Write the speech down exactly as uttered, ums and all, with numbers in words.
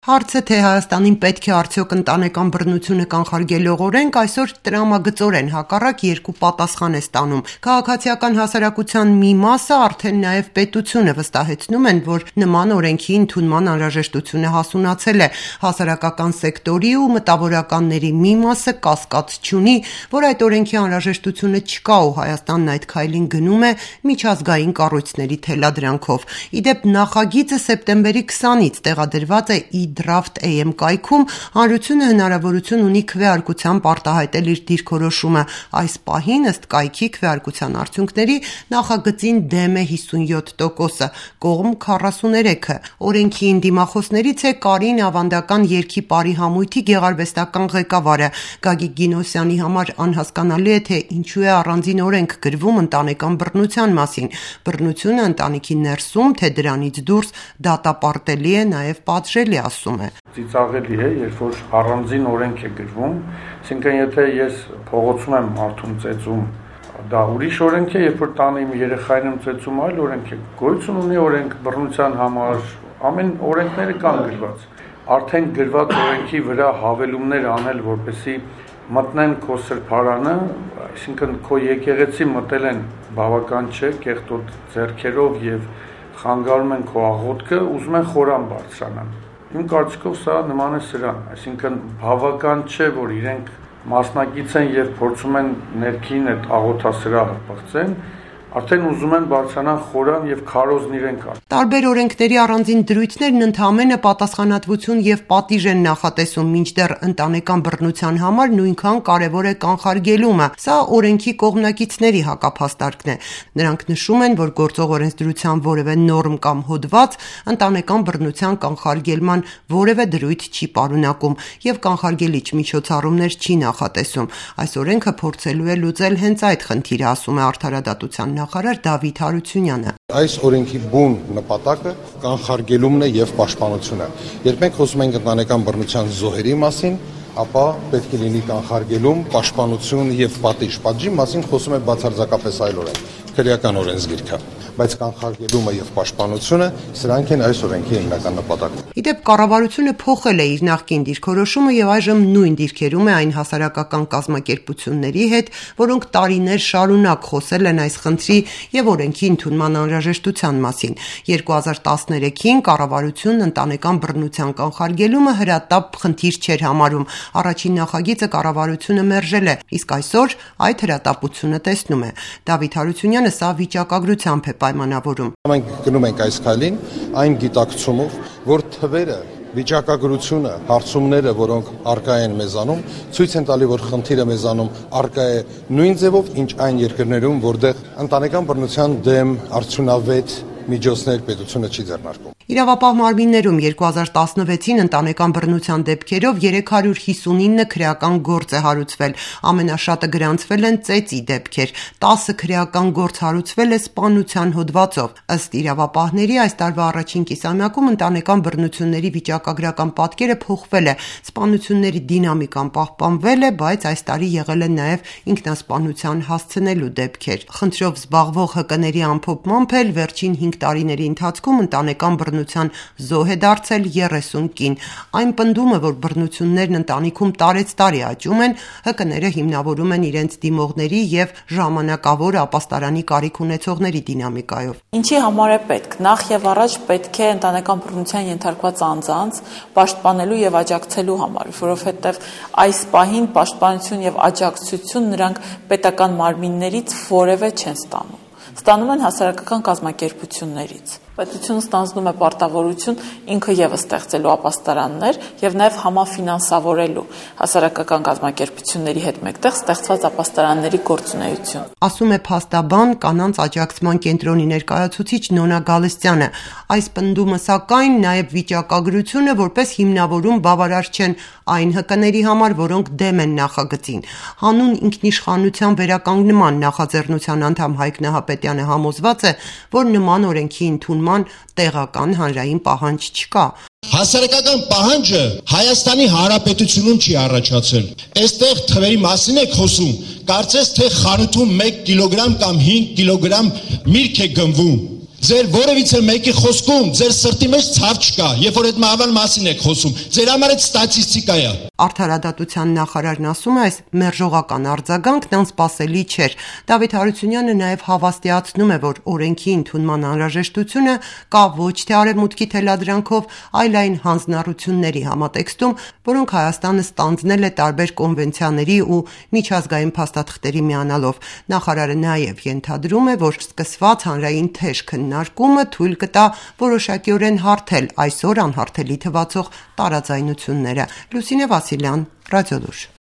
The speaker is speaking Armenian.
Հարցը, թե Հայաստանին պետք է արդյոք ընտանեկան բռնությունը կանխարգելող օրենք, այսօր տրամագծորեն հակառակ երկու պատասխան է ստանում։ Քաղաքացիական հասարակության մի մասը, արդեն նաև պետությունը վստահեցնում են, որ նման օրենքի ընդունման անհրաժեշտությունը հասունացել է։ Հասարակական սեկտորի ու մտավորականների մի մասը կասկած չունի, որ այդ օրենքի անհրաժեշտությունը չկա ու Հայաստանն այդ քայլին գնում է միջազգային կառույցների թելադրանքով։ Իդեպ նախագիծը սեպտեմբերի քսանից տեղադրված է ի Draft A M կայքում, հանրությունը հնարավորություն ունի քվեարկությամբ արտահայտել իր դիրքորոշումը։ Այս պահին ըստ կայքի քվեարկության արդյունքների նախագծին դեմ է հիսունյոթ տոկոսը, կողմ քառասուներեքը։ Օրենքի դիմախոսներից է Կարին ավանդական երգի պարի համույթի գեղարվեստական ղեկավարը։ Գագիկ Գինոսյանի համար անհասկանալի է, թե ինչու է առանձին օրենք գրվում ընտանեկան բռնության մասին։ Բռնությունը ընտանիքի ներսում, թե դրանից դուրս դատապարտելի է, նաև պատժելի, ասում է։ Ծիծաղելի է, երբ որ առանձին օրենք է գրվում, այսինքն եթե ես փողոցում եմ մարդուն ծեծում, դա ուրիշ օրենք է, երբ որ տանը իմ երեխային եմ ծեծում, այլ օրենք է։ Գոյություն ունի օրենք բռնության համար, ամեն օրենքները կան գրված։ Արդեն գրված օրենքի վրա հավելումներ անել, որպեսզի մտնեն քո սրբարանը, այսինքն քո եկեղեցի մտել են, բավական չէ, կեղտոտ ձեռքերով եւ խանգարում են քո աղոթքը, ուզում են խորան բարձրանան։ Իմ կարծիքով սա նման է սրան, այսինքն բավական չէ, որ իրենք մասնակից են եւ փորձում են ներքին այդ աղոթասրահը բացեն, արդեն ուզում են բարձրանալ խորան եւ քարոզն իրենք ան։ Տարբեր օրենքների առանձին դրույթներն ընդհանրապես պատասխանատվություն եւ պատիժ են նախատեսում, մինչդեռ ընտանեկան բռնության համար նույնքան կարեւոր է կանխարգելումը։ Սա օրենքի կողմնակիցների հակափաստարկն է։ Նրանք նշում են, որ գործող օրենսդրության որևէ նորմ կամ հոդված ընտանեկան բռնության կանխարգելման որևէ դրույթ չի պարունակում եւ կանխարգելիչ միջոցառումներ չի նախատեսում։ Այս օրենքը փորձելու է լուծել հենց այդ խնդիրը, ասում է Արդարադատության նախարար Դավիթ Հարությունյանը։ Այս օրենքի բուն նպատակը կանխարգելումն է եւ պաշտպանությունը։ Երբ մենք խոսում ենք ընտանեկան բռնության զոհերի մասին, ապա պետք է լինի կանխարգելում, պաշտպանություն եւ պատիժ։ Պատժի մասին խոսում է բացարձակապես այլ օրենք, քրեական օրենսգիրքը, բայց կանխարգելումը եւ պաշտպանությունը սրանք են այս օրենքի հիմնական նպատակները։ Իդեպ կառավարությունը փոխել է իր նախկին դիրքորոշումը եւ այժմ նույն դիրքերում է այն հասարակական կազմակերպությունների հետ, որոնք տարիներ շարունակ խոսել են այս խնդրի եւ օրենքի ընդունման անհրաժեշտության մասին։ երկու հազար տասներեքին կառավարությունն ընտանեկան բռնության կանխարգելումը հրատապ խնդիր չէր համարում։ Առաջին նախագիծը կառավարությունը մերժել է, իսկ այսօր այդ հրատապությունը տեսնում է։ Դավիթ Հարությունյանը սա վիճակագրությամբ է պայմանավորում։ Մենք գնում ենք այս քայլին այն գիտակցումով, որ թվերը, վիճակագրությունը, հարցումները, որոնք արկա են մեզանում, ցույց են տալի, որ խնդիրը մեզանում արկա է նույն ձևով, ինչ այն երկրներում, որտեղ ընտանեկան բռնության դեմ արդյունավետ միջոցներ պետությունը չի ձեռնարկում։ Իրավապահ մարմիններում երկու հազար տասնվեցին ընտանեկան բռնության դեպքերով երեք հարյուր հիսունինը քրեական գործ է հարուցվել, ամենաշատը գրանցվել են ծեծի դեպքեր, տասը քրեական գործ հարուցվել է սպանության հոդվածով։ Ըստ իրավապահների, այս տարվա առաջին կիսամյակում ընտանեկան բռնությունների վիճակագրական պատկերը փոխվել է, սպանությունների դինամիկան պահպանվել է, բայց այս տարի եղել են նաև ինքնասպանության հասցնելու դեպքեր։ Խնդրով զբաղվող Հ Կ-ների ամփոփմամբ էլ վերջին հինգ տարիների ընթացքում ընտանեկան բռնության զոհ է դարձել երեսուն կին։ Այն պնդումը, որ բռնություններն ընտանիքում տարեցտարի աճում են, Հ Կ-ները հիմնավորում են իրենց դիմողների եւ ժամանակավոր ապաստարանի կարիք ունեցողների դինամիկայով։ Ինչի համար է պետք։ Նախ եւ առաջ պետք է ընտանեկան բռնության ենթարկված անձանց պաշտպանելու եւ աջակցելու համար, որովհետեւ այս պահին պաշտպանություն եւ աջակցություն նրանք պետական մարմիններից որևէ չեն ստանում։ Ստանում են հասարակական կազմակերպություններից։ Պետությունը ստանձնում է պարտավորություն ինքը եւս ստեղծելու ապաստարաններ եւ նաեւ համաֆինանսավորելու հասարակական կազմակերպությունների հետ մեկտեղ ստեղծված ապաստարանների գործունեություն։ Ասում է փաստաբան կանանց աջակցման կենտրոնի ներկայացուցիչ Նոնա Գալստյանը։ Այս պնդումը սակայն նաեւ վիճակագրությունը որպես հիմնավորում բավարար չեն այն Հ Կ-ների համար, որոնք դեմ են նախագծին։ Հանուն ինքնիշխանության վերականգնման նախաձեռնության անդամ Հայկ Նահապետյանը համոզված է, որ նման օրենքի ընդունման տեղական հանրային պահանջ չկա։ Հասարակական պահանջը Հայաստանի Հանրապետությունում չի առաջացել։ Այստեղ թվերի մասին եք խոսում, կարծես թե խանութում մեկ կիլոգրամ կամ հինգ կիլոգրամ միրգ է գնվում։ Ձեր որևիցե մեկի խոսքում ձեր սրտի մեջ ցավ չկա, երբ որ այդ մահվան մասին եք խոսում։ Ձեր համար այդ ստատիստիկա է։ Արդարադատության նախարարն ասում է, այս մերժողական արձագանքն անսպասելի չէր։ Դավիթ Հարությունյանը նաև հավաստիացնում է, որ օրենքի ընդունման անհրաժեշտությունը կա ոչ թե արևմուտքի թելադրանքով, այլ այն հանձնառությունների համատեքստում, որոնք Հայաստանը ստանձնել է տարբեր կոնվենցիաների ու միջազգային փաստաթղթերի միանալով։ Նախարարը նաև ենթադրում է, որ սկսված հանրային թեժ քննարկումը թույլ կտա որոշակիորեն հարթել այսօր անհարթելի թվացող տարաձայնությունները։ Լուսինե Վասիլյան, Ռադիոլուր։